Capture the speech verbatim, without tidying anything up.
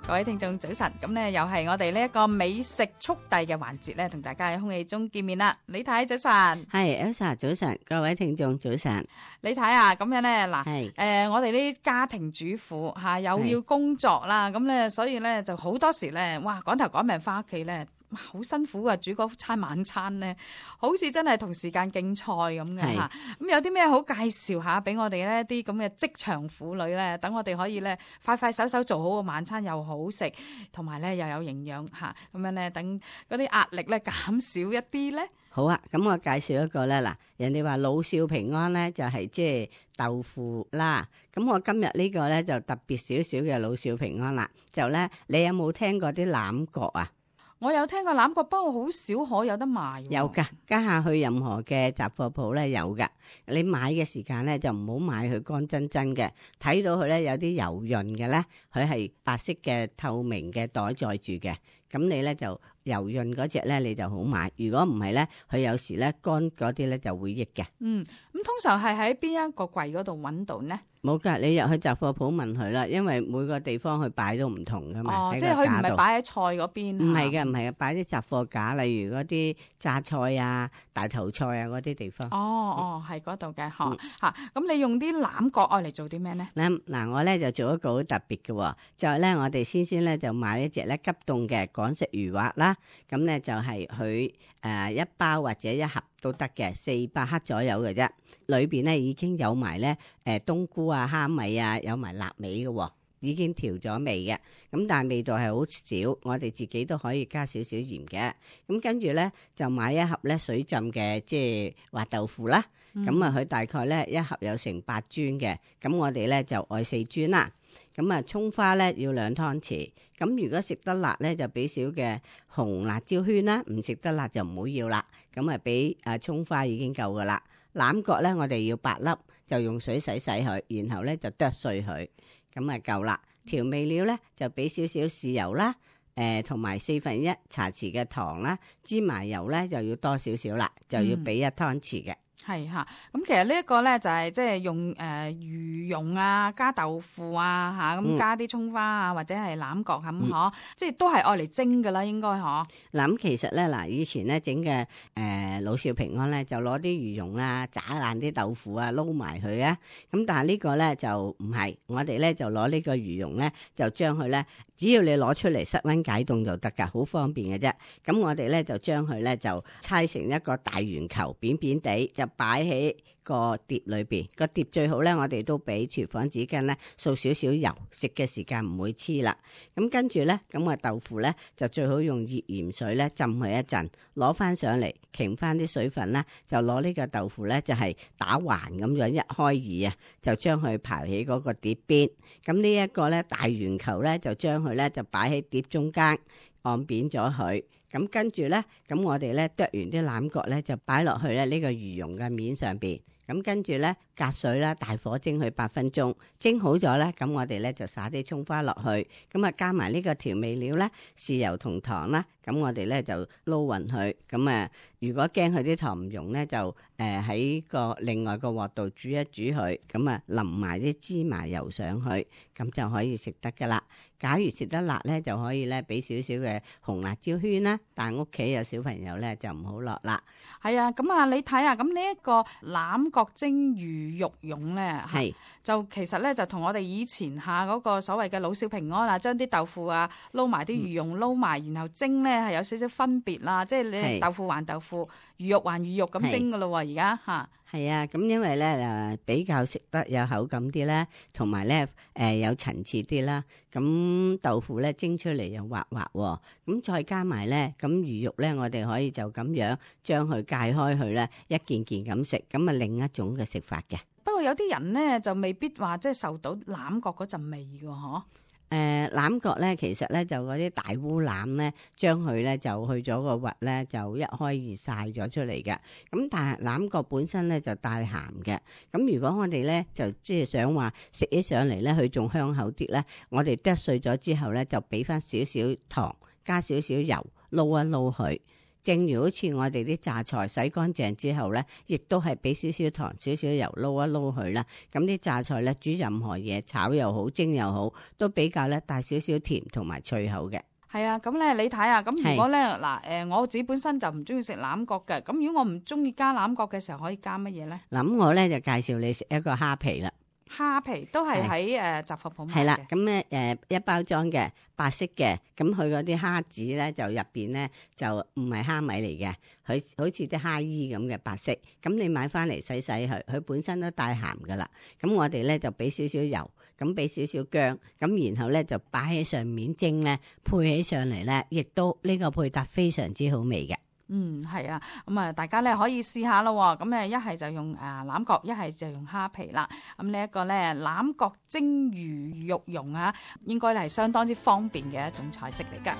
各位聽眾早晨，咁咧又係我哋呢一個美食速遞嘅環節咧，同大家喺空氣中見面啦。李太早晨，係 Elsa 早晨，各位聽眾早晨。李太啊，咁樣咧嗱，係誒我哋啲家庭主婦嚇又要工作啦，咁咧所以咧就好多時咧，哇趕頭趕命翻屋企咧。好辛苦啊！煮嗰餐晚餐咧，好似真係同時間競賽咁嘅嚇。咁有啲咩好介紹下俾我哋呢啲咁嘅職場婦女咧，等我哋可以咧快快手手做好個晚餐又好食，同埋咧又有營養嚇。咁樣咧，等嗰啲壓力咧減少一啲咧。好啊，咁我介紹一個咧嗱，人哋話老少平安咧，就係即係豆腐啦。咁我今日呢個咧就特別少少嘅老少平安啦。就咧，你有冇聽過啲欖角啊？我有聽過欖角，不過好少可有得賣。有噶，家下去任何嘅雜貨鋪咧有噶。你買嘅時間咧就唔好買佢乾真真嘅，睇到佢咧有啲油潤嘅咧，佢係白色嘅透明嘅袋載住嘅。咁你咧就油潤嗰隻咧你就好買。如果唔係咧，佢有時咧乾嗰啲咧就會益嘅。嗯，咁通常係喺邊一個櫃嗰度揾到呢？冇噶，你入去雜貨鋪問佢啦，因為每個地方佢擺都唔同噶嘛。哦，即係佢唔係擺喺菜嗰邊。唔係嘅，唔係嘅，擺啲雜貨架，例如嗰啲榨菜啊、大頭菜啊嗰啲地方。哦哦，係嗰度嘅，嗬嚇。咁你用啲欖角愛嚟做啲咩呢？嗱嗱，我咧就做一個好特別嘅，就係咧我哋先先咧就買一隻咧急凍嘅港式魚滑啦。咁咧就係佢誒一包或者一盒都得嘅，四百克左右嘅啫。裏邊咧已經有埋咧誒冬菇啊、蝦米啊，有埋臘味嘅，已經調咗味嘅。咁但係味道係好少，我哋自己都可以加少少鹽嘅。咁跟住咧就買一盒咧水浸嘅即係滑豆腐啦。咁啊佢大概咧一盒有成八磚嘅，咁我哋咧就愛四磚啦。咁啊，蔥花咧要兩湯匙。咁如果食得辣咧，就俾少嘅紅辣椒圈啦；唔食得辣就唔好要啦。咁啊，俾啊蔥花已經夠噶啦。欖角咧，我哋要八粒，就用水洗洗佢，然後咧就剁碎佢，咁啊夠啦。調味料咧就俾少少豉油啦，誒同埋四分一茶匙嘅糖啦。芝麻油咧就要多少少啦，就要俾一湯匙嘅。係嚇，咁其實呢一個咧就係即係用誒魚蓉啊，加豆腐啊嚇，咁加啲蔥花啊，或者係欖角咁嗬，即係都係愛嚟蒸㗎啦，應該嗬。嗱咁其實咧嗱，以前咧整嘅誒老少平安咧，就攞啲魚蓉啊，炸爛啲豆腐啊，撈埋佢啊。咁但係呢個咧就唔係，我哋咧就攞呢個魚蓉咧，就將佢咧，只要你攞出嚟室溫解凍就得㗎，好方便嘅啫。咁我哋咧就將佢咧就搓成一個大圓球，扁扁地就擺喺個碟裏邊，個碟最好咧，我哋都俾廚房紙巾咧掃少少油，食嘅時間唔會黐啦。咁跟住咧，咁啊豆腐咧就最好用熱鹽水咧浸佢一陣，攞翻上嚟，擎翻啲水分啦，就攞呢個豆腐咧就係打橫咁樣一開二啊，就將佢刨起嗰個碟邊。咁呢一個咧大圓球咧就將佢咧就擺喺碟中間，按扁咗佢。咁跟住咧，咁我哋咧剁完啲欖角咧就擺落去咧呢個魚蓉嘅面上邊。咁跟住咧隔水啦，大火蒸佢八分鐘，蒸好咗咧，咁我哋咧就撒啲蔥花落去，咁啊加埋呢個調味料咧，豉油同糖啦，咁我哋咧就撈勻佢。咁啊，如果驚佢啲糖唔溶咧，就誒喺個另外個鑊度煮一煮佢，咁啊淋埋啲芝麻油上去，咁就可以食得噶啦。假如食得辣咧，就可以咧俾少少嘅紅辣椒圈啦，但係屋企有小朋友咧就唔好落啦。係啊，咁啊你睇下，咁呢一個欖角蒸魚肉蓉咧，係就其實咧就同我哋以前下嗰個所謂嘅老少平安啊，將啲豆腐啊撈埋啲魚蓉撈埋，然後蒸咧係有少少分別啦，即係你豆腐還豆腐，魚肉還魚肉咁蒸噶咯喎，而家嚇。係啊，咁因為咧誒比較食得有口感啲咧，同埋咧誒有層次啲啦。咁豆腐咧蒸出嚟又滑滑喎，咁再加埋咧，咁魚肉咧我哋可以就咁樣將佢界開佢咧，一件件咁食，咁啊另一種嘅食法嘅。不過有啲人咧就未必話即係受到欖角嗰陣味㗎嗬。誒欖角咧，其實咧就嗰啲大烏欖咧，將佢咧就去咗個核咧，就一開二曬咗出嚟嘅。咁但係欖角本身咧就帶鹹嘅。咁如果我哋咧就即係想話食起上嚟咧，佢仲香口啲咧，我哋剁碎咗之後咧，就俾翻少少糖，加少少油，撈一撈佢。正如好似我哋啲榨菜洗乾淨之後咧，亦都係俾少少糖、少少油撈一撈佢啦。咁啲榨菜咧煮任何嘢，炒又好、蒸又好，都比較咧帶少少甜同埋脆口嘅。係啊，咁咧你睇下，咁如果咧嗱誒，我自己本身就唔中意食欖角嘅，咁如果我唔中意加欖角嘅時候，可以加乜嘢咧？嗱，我咧就介紹你食一個蝦皮啦。蝦皮都係喺誒雜貨鋪買嘅。係啦，咁咧誒一包裝嘅白色嘅，咁佢嗰啲蝦子咧就入邊咧就唔係蝦米嚟嘅，佢好似啲蝦衣咁嘅白色。咁你買翻嚟洗洗佢，佢本身都帶鹹噶啦。咁我哋咧就俾少少油，咁俾少少薑，咁然後咧就擺喺上面蒸咧，配起上嚟咧，亦都呢個配搭非常之好味嘅。嗯，係啊，咁啊，大家咧可以試下咯。咁誒，一係就用誒欖角，一係就用蝦皮啦。咁呢一個咧欖角蒸魚肉蓉啊，應該係相當之方便嘅一種菜式嚟噶。